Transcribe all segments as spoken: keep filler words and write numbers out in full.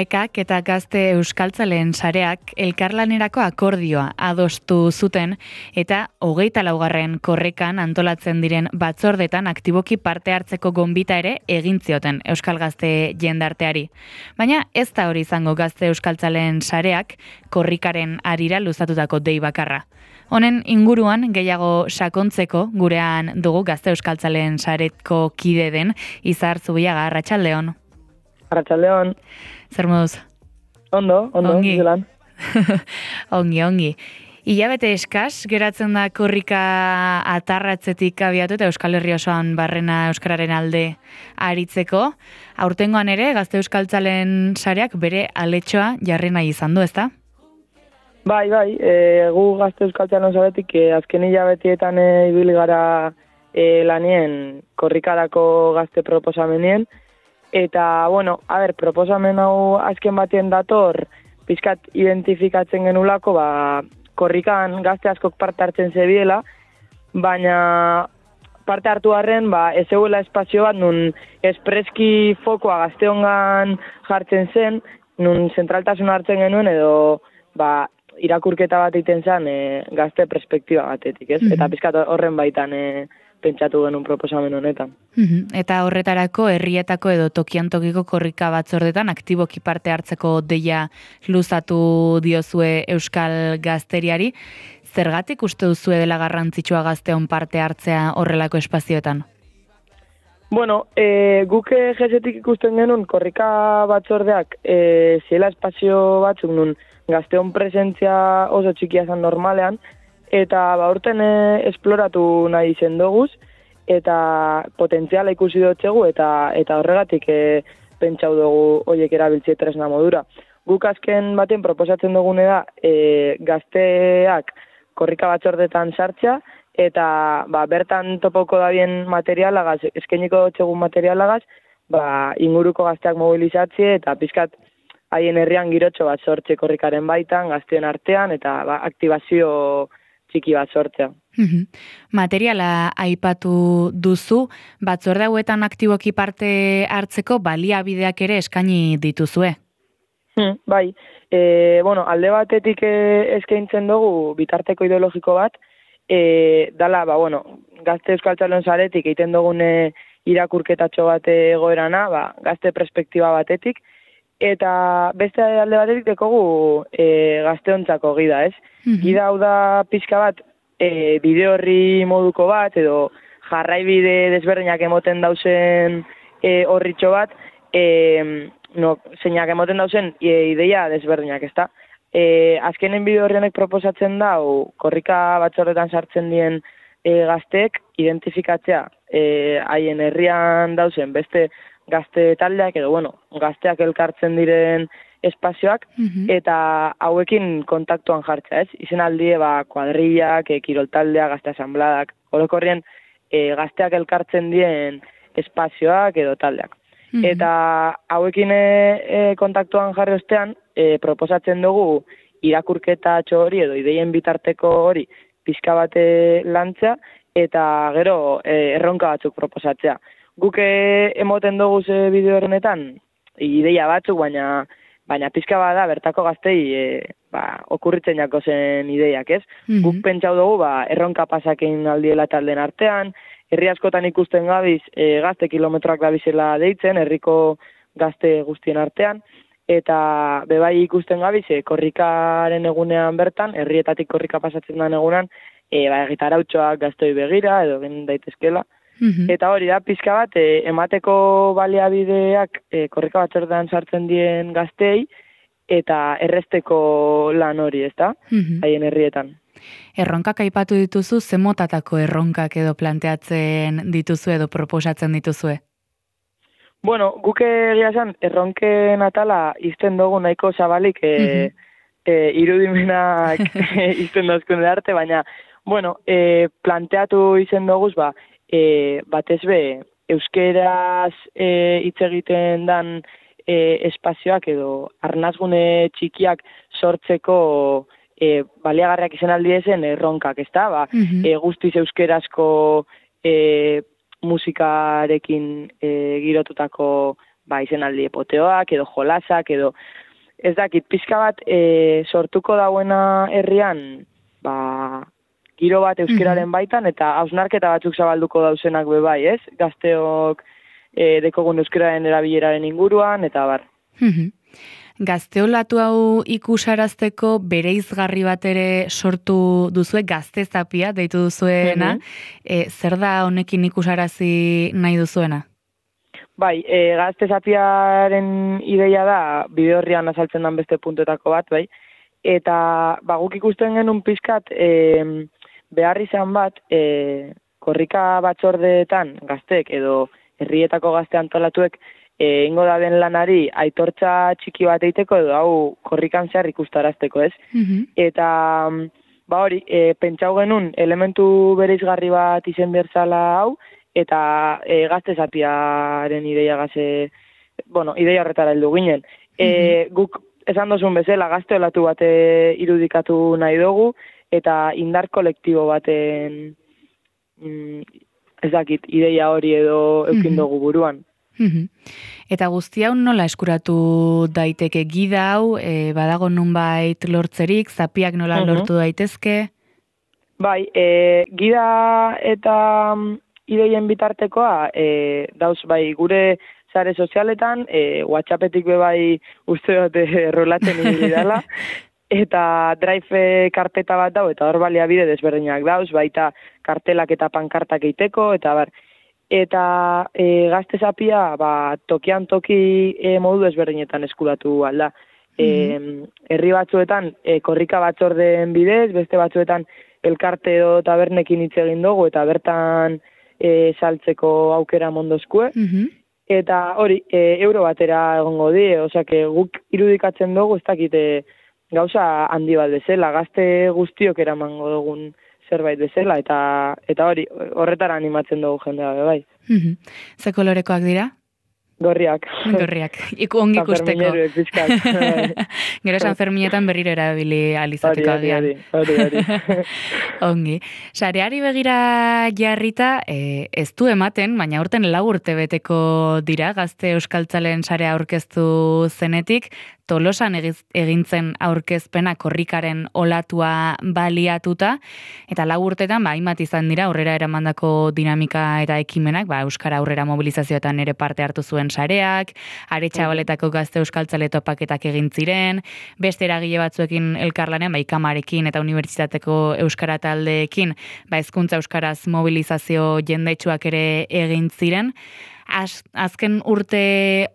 Aekak eta Gazte Euskaltzaleen sareak elkarlanerako akordioa adostu zuten eta hogeita laugarren korrikan antolatzen diren batzordetan aktiboki parte hartzeko gonbita ere egin zioten Euskal Gazte jendarteari. Baina ez da hori izango Gazte Euskaltzaleen sareak korrikaren harira luzatutako dei bakarra. Honen inguruan gehiago sakontzeko gurean dugu Gazte Euskaltzaleen sareko kide den Izar Zubiaga. Arratsaldeon. Arratsaldeon. Zer moduz? Ondo, ondo, ongi. zelan. ongi, ongi. Ilabete eskas, geratzen da korrika atarratzetik abiatu eta Euskal Herri osoan barrena euskararen alde aritzeko. Aurtengoan ere, Gazte Euskaltzalen sareak bere aletxoa jarri nahi izan du, ezta? Bai, bai, e, gu Gazte Euskaltzalen saretik e, azken hilabetietan e, ibili gara e, lanien korrikarako gazte proposamenien. Eta, bueno, a ber, proposamen hau azken batien dator, pizkat identifikatzen genulako, ba, korrikan gazte askok parte hartzen zebiela, baina parte hartu harren, ba, ez zegoela espazio bat, nun espreski fokoa gazteongan jartzen zen, nun zentraltasun hartzen genuen, edo, ba, irakurketa bat egiten zen e, gazte perspektiba batetik, ez? Mm-hmm. Eta pizkat horren baitan e, pentsatu genuen proposamen honetan. Mm-hmm. Eta horretarako herrietako edo tokian tokiko korrika batzordetan aktiboki parte hartzeko deia luzatu diozue Euskal Gazteriari. Zergatik uste duzue dela garrantzitsua gazteon parte hartzea horrelako espazioetan? Bueno, e, guk jesetik ikusten genuen korrika batzordeak e, ziela espazio batzuk nun gazteon presentzia oso txikia zen normalean, eta ba urten e, esploratu nahi izen doguz, eta potentziala ikusi dutxegu, eta eta horregatik e, pentsau dugu horiek erabiltzie tresna modura. Guk azken baten proposatzen dugune da e, gazteak korrika batzordetan sartzea, eta ba, bertan topoko dabien materialagaz, eskainiko dutxegun materialagaz, ba, inguruko gazteak mobilizatzie, eta pizkat haien herrian girotxo bat sortze korrikaren baitan, gazteen artean, eta ba, aktibazio txiki bat sortzea. Mm-hmm. Materiala aipatu duzu, batzorde hauetan aktiboki parte hartzeko baliabideak ere eskaini dituzue. Hmm, bai, e, bueno, alde batetik e, eskaintzen dugu bitarteko ideologiko bat, e, dala, ba, bueno, Gazte Euskaltzalen saretik egiten dugune irakurketatxo bat egoerana, ba, gazte perspektiba batetik, eta beste alde batetik dekogu e, gazteontzako gida, ez? Mm-hmm. Gida hau da pixka bat, e, bideo horri moduko bat, edo jarraibide desberdinak emoten dauzen e, horritxo bat, e, no, zeinak emoten dauzen e, ideia desberdinak, ezta? E, azkenen bideo horrenek proposatzen dau, korrika batzorretan sartzen dien e, gazteek identifikatzea e, haien herrian dauzen beste gazte taldeak, edo, bueno, gazteak elkartzen diren espazioak, mm-hmm. eta hauekin kontaktuan jartzea, ez? Izen aldie, ba, kuadrillak, e, kiroltaldeak, gazte asambladak, orokorrien e, gazteak elkartzen dien espazioak edo taldeak. Mm-hmm. Eta hauekin e, e, kontaktuan jarri ostean, e, proposatzen dugu irakurketa hori edo ideien bitarteko hori pizka bate lantzea, eta gero e, erronka batzuk proposatzea. Guk emoten dugu ze bideo horrenetan ideia batzuk, baina baina pizka bada bertako gaztei e, ba, okurritzen jako zen ideiak, ez? Mm-hmm. Guk pentsau dugu ba, erronka pasakein aldiela talden artean, herri askotan ikusten gabiz e, gazte kilometroak dabizela deitzen, herriko gazte guztien artean, eta bebai ikusten gabiz e, korrikaren egunean bertan, herrietatik korrika pasatzen den egunean, e, ba, gitarautxoak gaztoi begira, edo gen daitezkela. Mm-hmm. Eta hori da, pizka bat, e, emateko baliabideak e, korrika batzordean sartzen dien gaztei, eta erresteko lan hori, ezta? Mm-hmm. Haien herrietan. Erronkak aipatu dituzu, ze motatako erronkak edo planteatzen dituzu edo proposatzen dituzue? Bueno, guk egia esan, erronken atala izten dugu nahiko zabalik e, mm-hmm. e, irudimenak izten dozkun arte, baina, bueno, e, planteatu izen duguz, ba, E, batez be, euskeraz hitz e, egiten dan e, espazioak edo arnazgune txikiak sortzeko e, baliagarriak izan aldiezen erronkak, ezta? Ba, mm-hmm. e, guztiz euskerazko e, musikarekin e, girotutako ba, izenaldi epoteoak, edo jolasak, edo ez dakit, pixka bat e, sortuko dauena herrian, ba, giro bat euskeraren baitan, eta hausnarketa batzuk zabalduko dauzenak bebai, ez? Gazteok e, dekogun euskeraren erabileraren inguruan, eta bar. Gazteolatu hau ikusarazteko bereizgarri bat ere sortu duzue, gaztezapia deitu duzuena, e, zer da honekin ikusarazi nahi duzuena? Bai, e, gaztezapiaren ideia da, bide horrian azaltzen dan beste puntuetako bat, bai, eta ba, guk ikusten genuen pizkat e, behar izan bat, e, korrika batzordeetan gaztek edo herrietako gazte antolatuek e, ingo da den lanari aitortza txiki bat eiteko edo hau korrikan zehar ikustarazteko, ez? Mm-hmm. Eta ba hori, e, pentsau genuen elementu bereizgarri bat izen berzala hau, eta e, gaztezapiaren ideia gaze, bueno, ideia horretara heldu ginen. E, mm-hmm. Guk esan dozun bezala gazteolatu bate irudikatu nahi dugu, eta indar kolektibo baten mm, ez dakit, ideia hori edo eukin dugu buruan. Mm-hmm. Eta guzti hau nola eskuratu daiteke gida hau, e, badago nunbait lortzerik, zapiak nola mm-hmm. lortu daitezke? Bai, e, gida eta ideien bitartekoa, e, dauz bai gure sare sozialetan, e, WhatsAppetik be bai uste dut errolatzen ibili dela, eta Drive karpeta bat dau, eta hor baliabide desberdinak dauz, baita kartelak eta pankartak eiteko, eta bar. Eta e, gaztezapia, ba, tokian toki e, modu desberdinetan eskuratu alda. Mm-hmm. E, herri batzuetan, e, korrika batzordeen bidez, beste batzuetan elkarte edo tabernekin hitz egin dugu, eta bertan E, saltzeko aukera mondozkue, mm-hmm. eta hori, e, euro batera egongo di, osea, guk irudikatzen dugu, ez dakite gauza handi bat bezala, gazte guztiok eramango dugun zerbait bezala, eta eta hori, horretara animatzen dugu jendea bai. Mm-hmm. Ze kolorekoak dira? Gorriak. Gorriak. Iku ongi ikusteko. Gero San Ferminetan berriro erabili alizateko agian. Hori, hori, ongi. Sareari begira jarrita, e, ez du ematen, baina urten lau urte beteko dira, gazte euskaltzalen sarea aurkeztu zenetik, Tolosan egintzen aurkezpena korrikaren olatua baliatuta, eta lau urtetan, ba, hainbat izan dira, aurrera eramandako dinamika eta ekimenak, ba, Euskara aurrera mobilizazioetan ere parte hartu zuen sareak, Aretxabaletako gazte euskaltzale topaketak egin ziren, beste eragile batzuekin elkarlanean, ba, Ikamarekin eta Unibertsitateko Euskara taldeekin, ba, hezkuntza euskaraz mobilizazio jendaitsuak ere egin ziren. Az, azken urte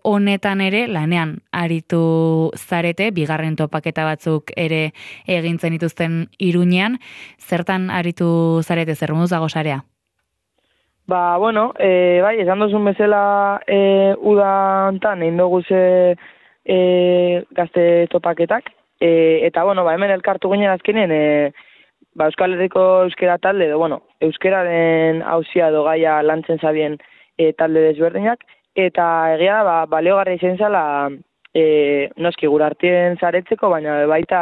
honetan ere lanean aritu zarete, bigarren topaketa batzuk ere egintzen dituzten Iruñean, zertan aritu zarete, zer moduz dago sarea? Ba, bueno, e, bai, esan duzun bezala e, uda hontan egin dugu ze e, gazte topaketak, e, eta, bueno, ba, hemen elkartu ginen azkenen, e, ba, Euskal Herriko euskera talde, edo, bueno, euskeraren hauzia edo gaia lantzen zabien E, talde desberdinak, eta egia ba, baleogarra izan zala e, noski gurartien zaretzeko, baina baita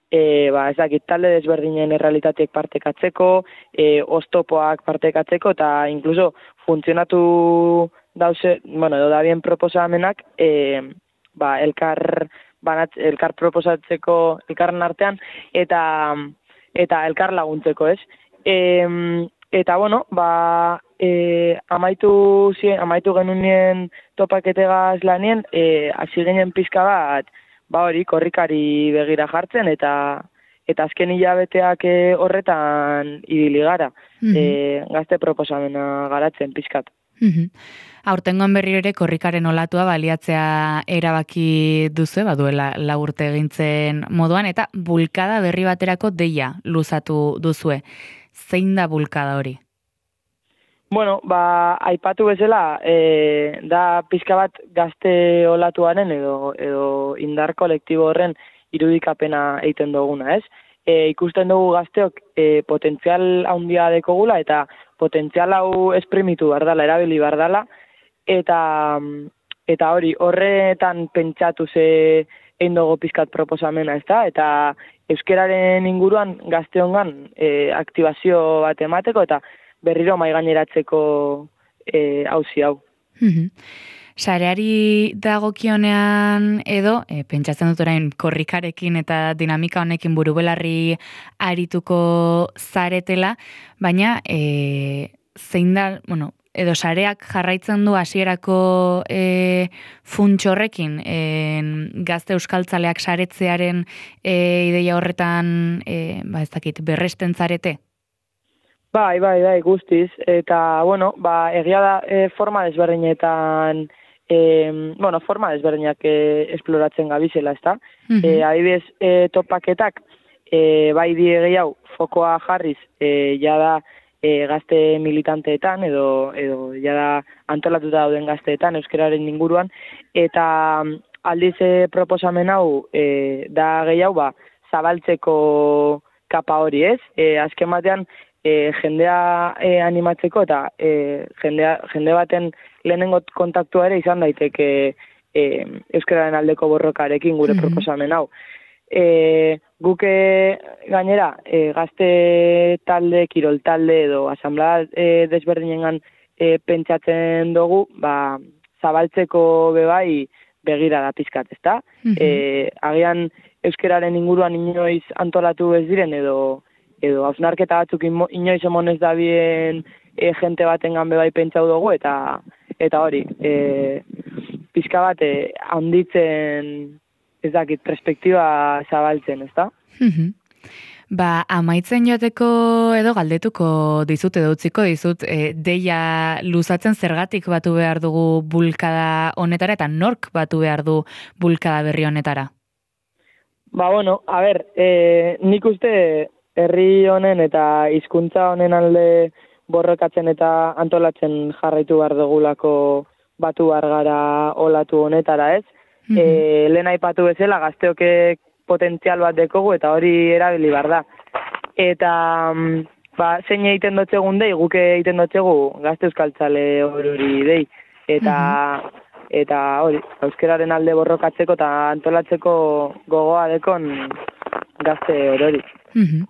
e, ba, ez dakit talde desberdinen errealitateek partekatzeko, e, oztopoak partekatzeko, eta inkluso funtzionatu dauze, bueno, edo da bien proposamenak, e, ba, elkar, banat, elkar proposatzeko elkarren artean, eta, eta elkar laguntzeko, ez? E, Eta, bueno, ba, e, amaitu, zien, amaitu genunien topaketegaz lanien, e, hasi ginen pizka bat, ba hori, korrikari begira jartzen, eta eta azken hilabeteak horretan ibili gara, mm-hmm. e, gazte proposamena garatzen pizkat. Mm-hmm. Aurtengoan berriro ere korrikaren olatua baliatzea erabaki duzu, baduela lau urte egintzen moduan, eta bulkada berri baterako deia luzatu duzue. Zein da bulkada hori? Bueno, ba, aipatu bezala, e, da pizka bat gazte olatuaren edo, edo indar kolektibo horren irudikapena egiten duguna, ez? E, ikusten dugu gazteok e, potentzial handia dekogula eta potentzial hau esprimitu bardala, erabili bardala, eta, eta hori, horretan pentsatu ze egin dugu pizkat proposamena, ez da? Eta euskeraren inguruan gazteongan e, aktibazio bat emateko eta berriro maigaineratzeko e, auzi hau. Sareari dagokionean edo, e, pentsatzen dut orain korrikarekin eta dinamika honekin burubelarri arituko zaretela, baina e, zein da, bueno, edo sareak jarraitzen du hasierako e, funtxorrekin, e, gazte euskaltzaleak saretzearen e, ideia horretan, e, ba ez dakit, berresten zarete? Bai, bai, bai, guztiz. Eta, bueno, ba, egia da e, forma desberdinetan, e, bueno, forma desberdinak e, esploratzen gabizela, ezta? Mhm. E, adibidez, e, topaketak, e, bai die gehiago, fokoa jarriz, e, jada e, gazte militanteetan, edo, edo jada antolatuta dauden gazteetan, euskararen inguruan, eta aldiz e, proposamen hau e, da gehiago, ba, zabaltzeko kapa hori, ez? E, azken batean, E, jendea e, animatzeko eta e, jendea, jende baten lehenengo kontaktua ere izan daiteke e, euskararen aldeko borrokarekin gure Mhm. proposamen hau. E, guke gainera e, gazte talde, kirol talde edo asamblea e, desberdinengan e, pentsatzen dugu, ba, zabaltzeko bebai begira da pizkat, ezta? Mhm. E, agian euskararen inguruan inoiz antolatu ez diren edo edo hausnarketa batzuk ino- inoiz emonez da bien e, jente batengan bebai pentsau dugu, eta eta hori, e, pizka bat e, handitzen, ez dakit, perspektiba zabaltzen, ezta? Mhm. Ba, amaitzen joateko edo galdetuko dizut edo utziko dizut, e, deia luzatzen zergatik batu behar dugu bulkada honetara eta nork batu behar du bulkada berri honetara? Ba, bueno, a ber, e, nik uste herri honen eta hizkuntza honen alde borrokatzen eta antolatzen jarraitu behar dugulako batu behar gara olatu honetara, ez? Mhm. E, lehen aipatu bezala gazteok potentzial bat dekogu eta hori erabili behar da. Eta mm, ba, zein egiten dotzegun dei, guke egiten dotzegu gazte euskaltzale hori dei. Eta eta hori, euskararen alde borrokatzeko eta antolatzeko gogoa dekon gazte hori. Mhm.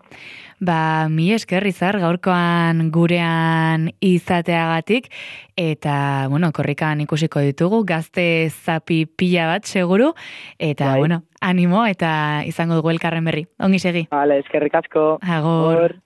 Ba, mi esker Izar gaurkoan gurean izateagatik eta, bueno, korrikan ikusiko ditugu, gazte zapi pila bat seguru, eta, Bai. bueno, animo eta izango dugu elkarren berri. Ongi segi. Vale, eskerrik asko. Agor. Agor.